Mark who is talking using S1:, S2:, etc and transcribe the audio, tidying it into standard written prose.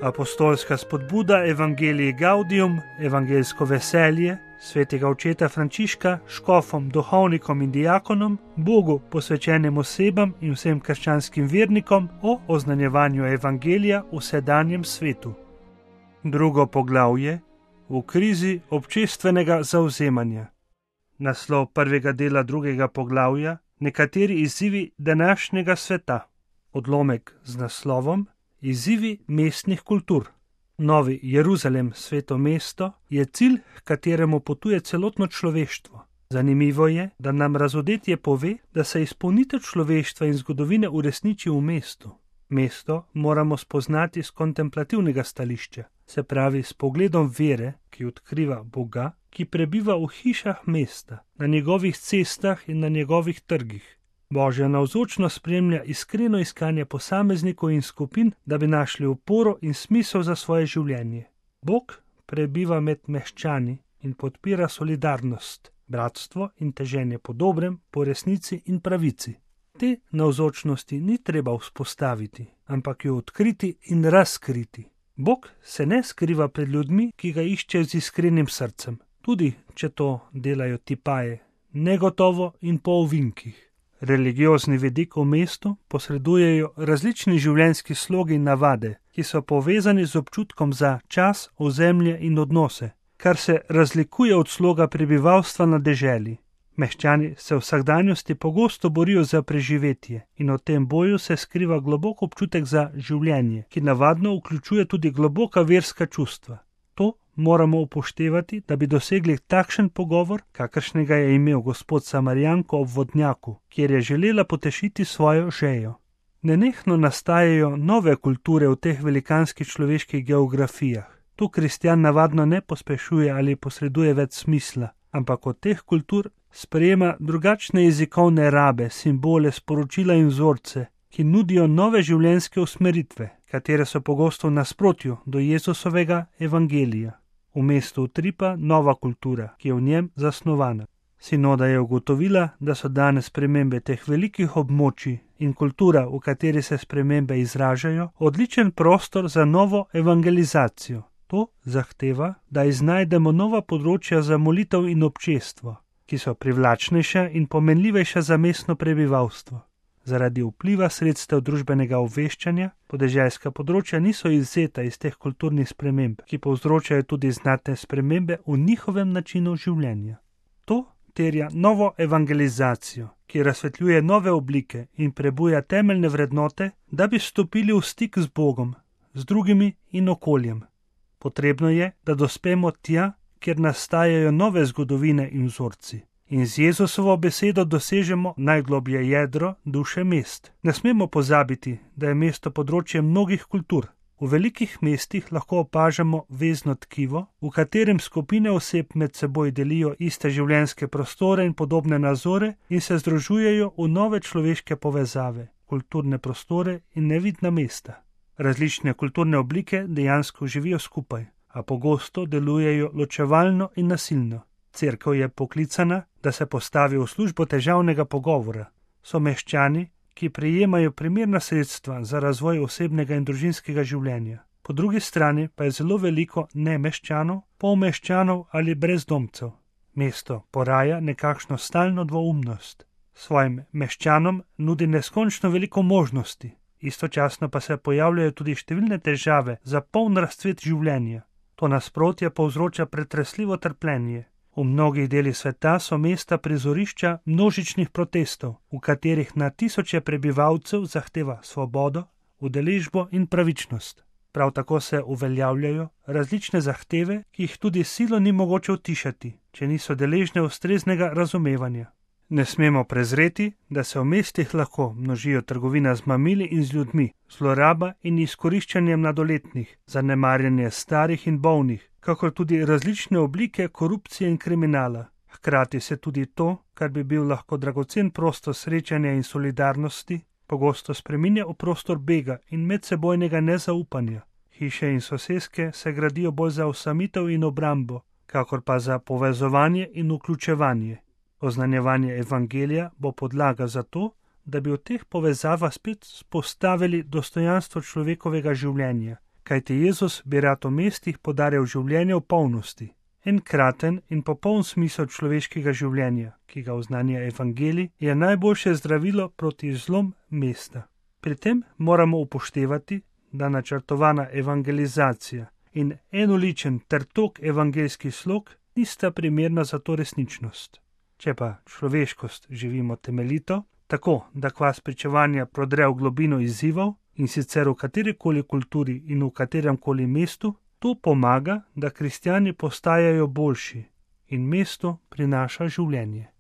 S1: Apostolska spodbuda Evangelii Gaudium, evangeljsko veselje, svetega očeta Frančiška, škofom, duhovnikom in diakonom, Bogu posvečenim osebam in vsem krščanskim vernikom o oznanjevanju evangelija v sedanjem svetu. Drugo poglavje: v krizi občestvenega zavzemanja. Naslov prvega dela drugega poglavja: nekateri izzivi današnjega sveta. Odlomek z naslovom: izzivi mestnih kultur. Novi Jeruzalem, sveto mesto, je cilj, h kateremu potuje celotno človeštvo. Zanimivo je, da nam razodetje pove, da se izpolnitev človeštva in zgodovine uresniči v mestu. Mesto moramo spoznati z kontemplativnega stališča, se pravi s pogledom vere, ki odkriva Boga, ki prebiva v hišah mesta, na njegovih cestah in na njegovih trgih. Božja navzočnost spremlja iskreno iskanje posameznikov in skupin, da bi našli oporo in smisel za svoje življenje. Bog prebiva med meščani in podpira solidarnost, bratstvo in teženje po dobrem, po resnici in pravici. Te navzočnosti ni treba vzpostaviti, ampak jo odkriti in razkriti. Bog se ne skriva pred ljudmi, ki ga iščejo z iskrenim srcem, tudi če to delajo tipaje, negotovo in po ovinkih. Religiozni vidik v mestu posredujejo različni življenjski slogi in navade, ki so povezani z občutkom za čas, ozemlje in odnose, kar se razlikuje od sloga prebivalstva na deželi. Meščani se v vsakdanjosti pogosto borijo za preživetje in v tem boju se skriva globok občutek za življenje, ki navadno vključuje tudi globoka verska čustva. To moramo upoštevati, da bi dosegli takšen pogovor, kakršnega je imel gospod Samarijanko ob vodnjaku, kjer je želela potešiti svojo žejo. Nenehno nastajajo nove kulture v teh velikanskih človeških geografijah. Tu kristjan navadno ne pospešuje ali posreduje več smisla, ampak od teh kultur sprejema drugačne jezikovne rabe, simbole, sporočila in vzorce, ki nudijo nove življenjske usmeritve, katere so pogosto v nasprotju do Jezusovega evangelija. V mestu utripa nova kultura, ki je v njem zasnovana. Sinoda je ugotovila, da so danes spremembe teh velikih območij in kultura, v kateri se spremembe izražajo, odličen prostor za novo evangelizacijo. To zahteva, da iznajdemo nova področja za molitev in občestvo, ki so privlačnejša in pomenljivejša za mestno prebivalstvo. Zaradi vpliva sredstev družbenega obveščanja podeželska področja niso izvzeta iz teh kulturnih sprememb, ki povzročajo tudi znatne spremembe v njihovem načinu življenja. To terja novo evangelizacijo, ki razsvetljuje nove oblike in prebuja temeljne vrednote, da bi stopili v stik z Bogom, z drugimi in okoljem. Potrebno je, da dospemo tja, kjer nastajajo nove zgodovine in vzorci. In z Jezusovo besedo dosežemo najgloblje jedro duše mest. Ne smemo pozabiti, da je mesto področje mnogih kultur. V velikih mestih lahko opažamo vezno tkivo, v katerem skupine oseb med seboj delijo iste življenjske prostore in podobne nazore in se združujejo v nove človeške povezave, kulturne prostore in nevidna mesta. Različne kulturne oblike dejansko živijo skupaj, a pogosto delujejo ločevalno in nasilno. Cerkev je poklicana, da se postavi v službo težavnega pogovora. So meščani, ki prejemajo primerna sredstva za razvoj osebnega in družinskega življenja. Po drugi strani pa je zelo veliko nemeščanov, polmeščanov ali brezdomcev. Mesto poraja nekakšno stalno dvoumnost. Svojim meščanom nudi neskončno veliko možnosti, istočasno pa se pojavljajo tudi številne težave za poln razcvet življenja. To nasprotje povzroča pretresljivo trpljenje. V mnogih delih sveta so mesta prizorišča množičnih protestov, v katerih na tisoče prebivalcev zahteva svobodo, udeležbo in pravičnost. Prav tako se uveljavljajo različne zahteve, ki jih tudi silo ni mogoče utišati, če niso deležne ustreznega razumevanja. Ne smemo prezreti, da se v mestih lahko množijo trgovina z mamili in z ljudmi, zloraba in izkoriščanje mladoletnih, zanemarjanje starih in bolnih, kakor tudi različne oblike korupcije in kriminala. Hkrati se tudi to, kar bi bil lahko dragocen prostor srečanja in solidarnosti, pogosto spreminja v prostor bega in medsebojnega nezaupanja. Hiše in soseske se gradijo bolj za osamitev in obrambo, kakor pa za povezovanje in vključevanje. Oznanjevanje evangelija bo podlaga za to, da bi v teh povezavah spet spostavili dostojanstvo človekovega življenja, kajti Jezus bi rad v mestih podarjal življenje v polnosti. Enkraten in popoln smisel človeškega življenja, ki ga oznanja evangelij, je najboljše zdravilo proti zlom mesta. Pri tem moramo upoštevati, da načrtovana evangelizacija in enoličen ter tok evangeljskih slog nista primerna za to resničnost. Če pa človeškost živimo temeljito, tako da kvas pričevanja prodre v globino izzivov, in sicer v katerikoli kulturi in v kateremkoli mestu, to pomaga, da kristjani postajajo boljši in mestu prinaša življenje.